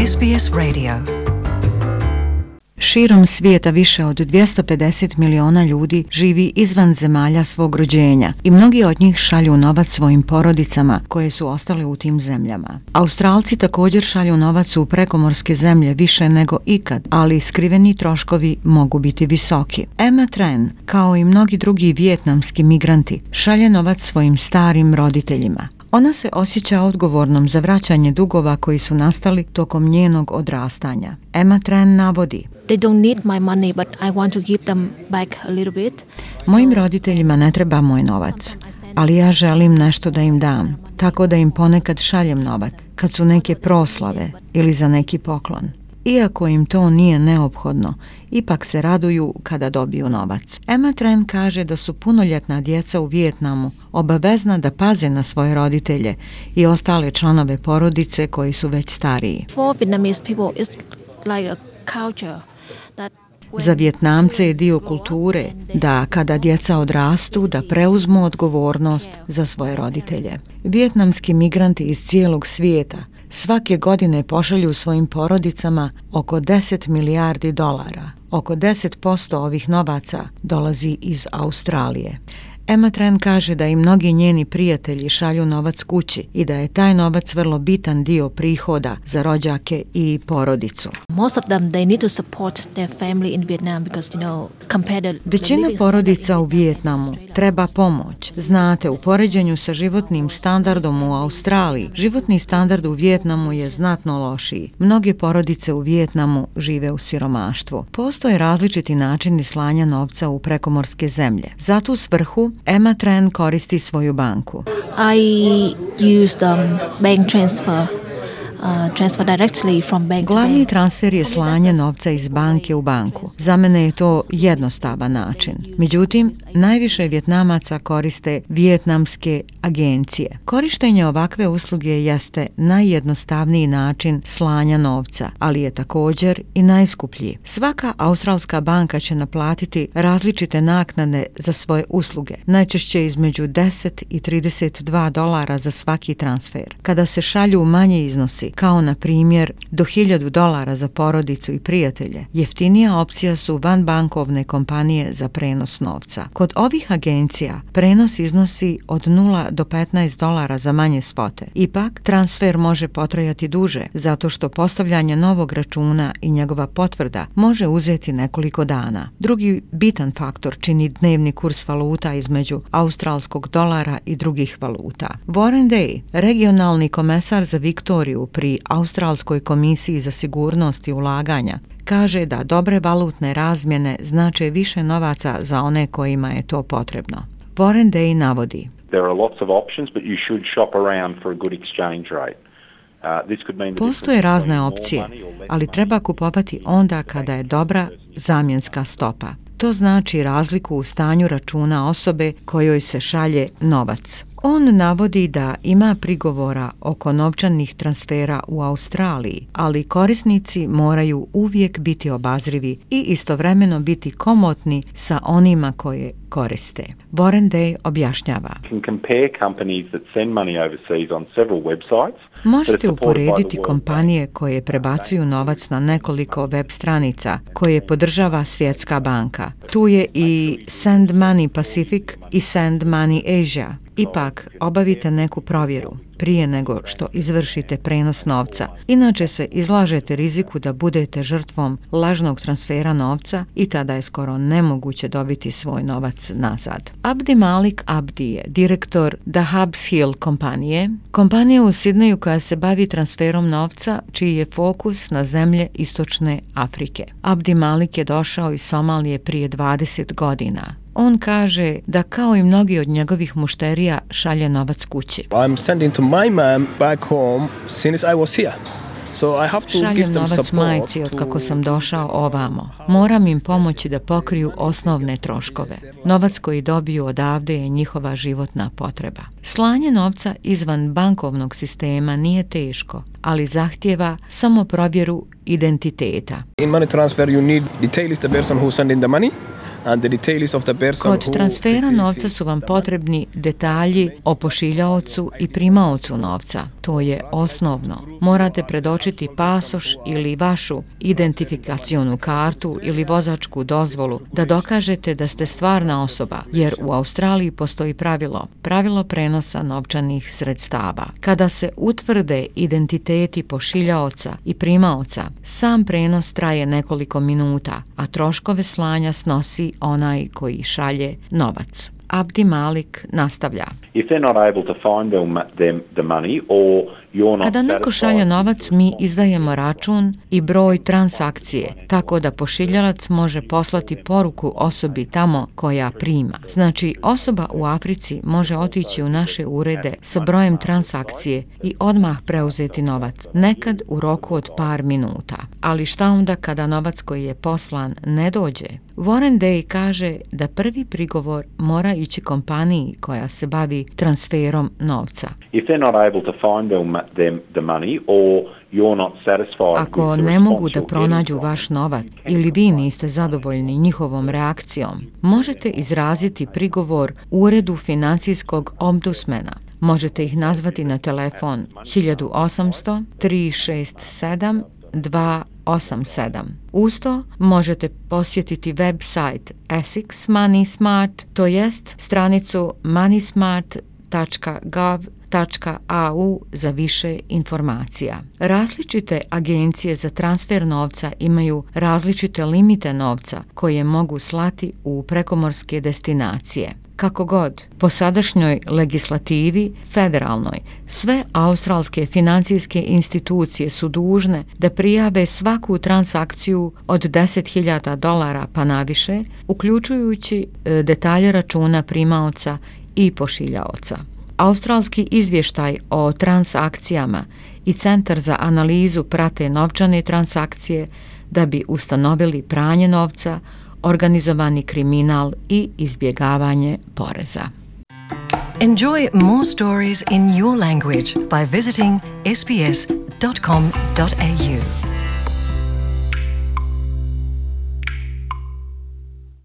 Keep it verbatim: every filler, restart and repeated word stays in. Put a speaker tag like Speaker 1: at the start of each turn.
Speaker 1: S B S Radio.
Speaker 2: Širom svijeta više od dvjesto pedeset miliona ljudi živi izvan zemalja svog rođenja i mnogi od njih šalju novac svojim porodicama koje su ostale u tim zemljama. Australci također šalju novac u prekomorske zemlje više nego ikad, ali skriveni troškovi mogu biti visoki. Emma Tran, kao i mnogi drugi vijetnamski migranti, šalje novac svojim starim roditeljima. Ona se osjeća odgovornom za vraćanje dugova koji su nastali tokom njenog odrastanja. Emma Tran navodi:
Speaker 3: They don't need my money, but I want to give them back a little bit.
Speaker 2: Mojim roditeljima ne treba moj novac, ali ja želim nešto da im dam, tako da im ponekad šaljem novac, kad su neke proslave ili za neki poklon. Iako im to nije neophodno, ipak se raduju kada dobiju novac. Emma Tran kaže da su punoljetna djeca u Vijetnamu obavezna da paze na svoje roditelje i ostale članove porodice koji su već stariji.
Speaker 3: For Vietnamese people, it's like a culture that
Speaker 2: Za Vijetnamce je dio kulture da kada djeca odrastu da preuzmu odgovornost za svoje roditelje. Vijetnamski migranti iz cijelog svijeta svake godine pošalju svojim porodicama oko deset milijardi dolara. Oko deset posto ovih novaca dolazi iz Australije. Emma Tran kaže da i mnogi njeni prijatelji šalju novac kući i da je taj novac vrlo bitan dio prihoda za rođake i porodicu.
Speaker 3: most of them they need to support their family in Vietnam because you know compare the
Speaker 2: Većina porodica u Vijetnamu treba pomoć. Znate, u poređenju sa životnim standardom u Australiji, životni standard u Vijetnamu je znatno lošiji. Mnoge porodice u Vijetnamu žive u siromaštvu. Postoje različiti načini slanja novca u prekomorske zemlje. Za tu svrhu Emma Tran koristi svoju banku.
Speaker 3: I use um, bank transfer. Uh, transfer directly from bank to
Speaker 2: Glavni
Speaker 3: bank.
Speaker 2: transfer je slanje novca iz banke u banku. Za mene je to jednostavan način. Međutim, najviše Vjetnamaca koriste vijetnamske agencije. Korištenje ovakve usluge jeste najjednostavniji način slanja novca, ali je također i najskuplji. Svaka australska banka će naplatiti različite naknade za svoje usluge, najčešće između deset i trideset dva dolara za svaki transfer. Kada se šalju manje iznosi, kao na primjer do hiljadu dolara za porodicu i prijatelje, jeftinija opcija su vanbankovne kompanije za prenos novca. Kod ovih agencija prenos iznosi od nula do petnaest dolara za manje svote. Ipak, transfer može potrajati duže, zato što postavljanje novog računa i njegova potvrda može uzeti nekoliko dana. Drugi bitan faktor čini dnevni kurs valuta između australskog dolara i drugih valuta. Warren Day, regionalni komesar za Viktoriju pri Australskoj komisiji za sigurnost i ulaganja, kaže da dobre valutne razmjene znače više novaca za one kojima je to potrebno. Warren Day navodi:
Speaker 4: There are lots of options, but you should shop around for a good exchange rate. Uh, this could mean the
Speaker 2: Postoje
Speaker 4: difference
Speaker 2: razne
Speaker 4: between more
Speaker 2: opcije,
Speaker 4: money or less
Speaker 2: ali
Speaker 4: money.
Speaker 2: treba kupovati onda kada je dobra zamjenska stopa. To znači razliku u stanju računa osobe kojoj se šalje novac. On navodi da ima prigovora oko novčanih transfera u Australiji, ali korisnici moraju uvijek biti obazrivi i istovremeno biti komotni sa onima koje koriste. Warren Day objašnjava:
Speaker 4: You can compare companies that send money overseas on several websites.
Speaker 2: Možete uporediti kompanije koje prebacuju novac na nekoliko web stranica koje podržava Svjetska banka. Tu je i Send Money Pacific i Send Money Asia. Ipak, obavite neku provjeru prije nego što izvršite prenos novca. Inače se izlažete riziku da budete žrtvom lažnog transfera novca i tada je skoro nemoguće dobiti svoj novac nazad. Abdi Malik Abdi je direktor The Hubs Hill kompanije, kompanije u Sidneju koja se bavi transferom novca, čiji je fokus na zemlje istočne Afrike. Abdi Malik je došao iz Somalije prije dvadeset godina. On kaže da kao i mnogi od njegovih mušterija šalje novac kući.
Speaker 5: I'm sending to my mom back home since I was here. So I have to give
Speaker 2: Šaljem
Speaker 5: them
Speaker 2: novac
Speaker 5: support
Speaker 2: majci od
Speaker 5: to-
Speaker 2: kako sam došao ovamo. Moram im pomoći da pokriju osnovne troškove. Novac koji dobiju odavde je njihova životna potreba. Slanje novca izvan bankovnog sistema nije teško, ali zahtijeva samo provjeru identiteta.
Speaker 5: In money transfer you need detail is the person who sending the money and the details of the person
Speaker 2: Kod
Speaker 5: who
Speaker 2: transfera
Speaker 5: receives
Speaker 2: novca su vam potrebni detalji o pošiljaocu i primaocu novca. To je osnovno. Morate predočiti pasoš ili vašu identifikacionu kartu ili vozačku dozvolu da dokažete da ste stvarna osoba, jer u Australiji postoji pravilo, pravilo prenosa novčanih sredstava. Kada se utvrde identiteti pošiljaoca i primaoca, sam prenos traje nekoliko minuta, a troškove slanja snosi onaj koji šalje novac. Abdi Malik nastavlja.
Speaker 4: If they're not able to find them, them, the money or you're not
Speaker 2: Kada neko šalje novac, mi izdajemo račun i broj transakcije, tako da pošiljalac može poslati poruku osobi tamo koja prima. Znači, osoba u Africi može otići u naše urede sa brojem transakcije i odmah preuzeti novac, nekad u roku od par minuta. Ali šta onda kada novac koji je poslan ne dođe? Warren Day kaže da prvi prigovor mora ići kompaniji koja se bavi transferom novca.
Speaker 4: If they're not able to find them, them, the money or you're not satisfied
Speaker 2: Ako
Speaker 4: with the
Speaker 2: ne mogu
Speaker 4: response
Speaker 2: da
Speaker 4: you're
Speaker 2: pronađu
Speaker 4: getting from
Speaker 2: vaš novac ili vi niste zadovoljni njihovom reakcijom, možete izraziti prigovor Uredu financijskog ombudsmana. Možete ih nazvati na telefon hiljadu osamsto tri šest sedam dva osam sedam. Uz to možete posjetiti website Essex Money Smart, to jest stranicu moneysmart tačka gov tačka a u za više informacija. Različite agencije za transfer novca imaju različite limite novca koje mogu slati u prekomorske destinacije. Kako god, po sadašnjoj legislativi, federalnoj, sve australske financijske institucije su dužne da prijave svaku transakciju od deset hiljada dolara pa naviše, uključujući e, detalje računa primaoca i pošiljaoca. Australski izvještaj o transakcijama i Centar za analizu prate novčane transakcije da bi ustanovili pranje novca, organizovani kriminal i izbjegavanje poreza.
Speaker 1: Enjoy more stories in your language by visiting s b s dot com dot a u.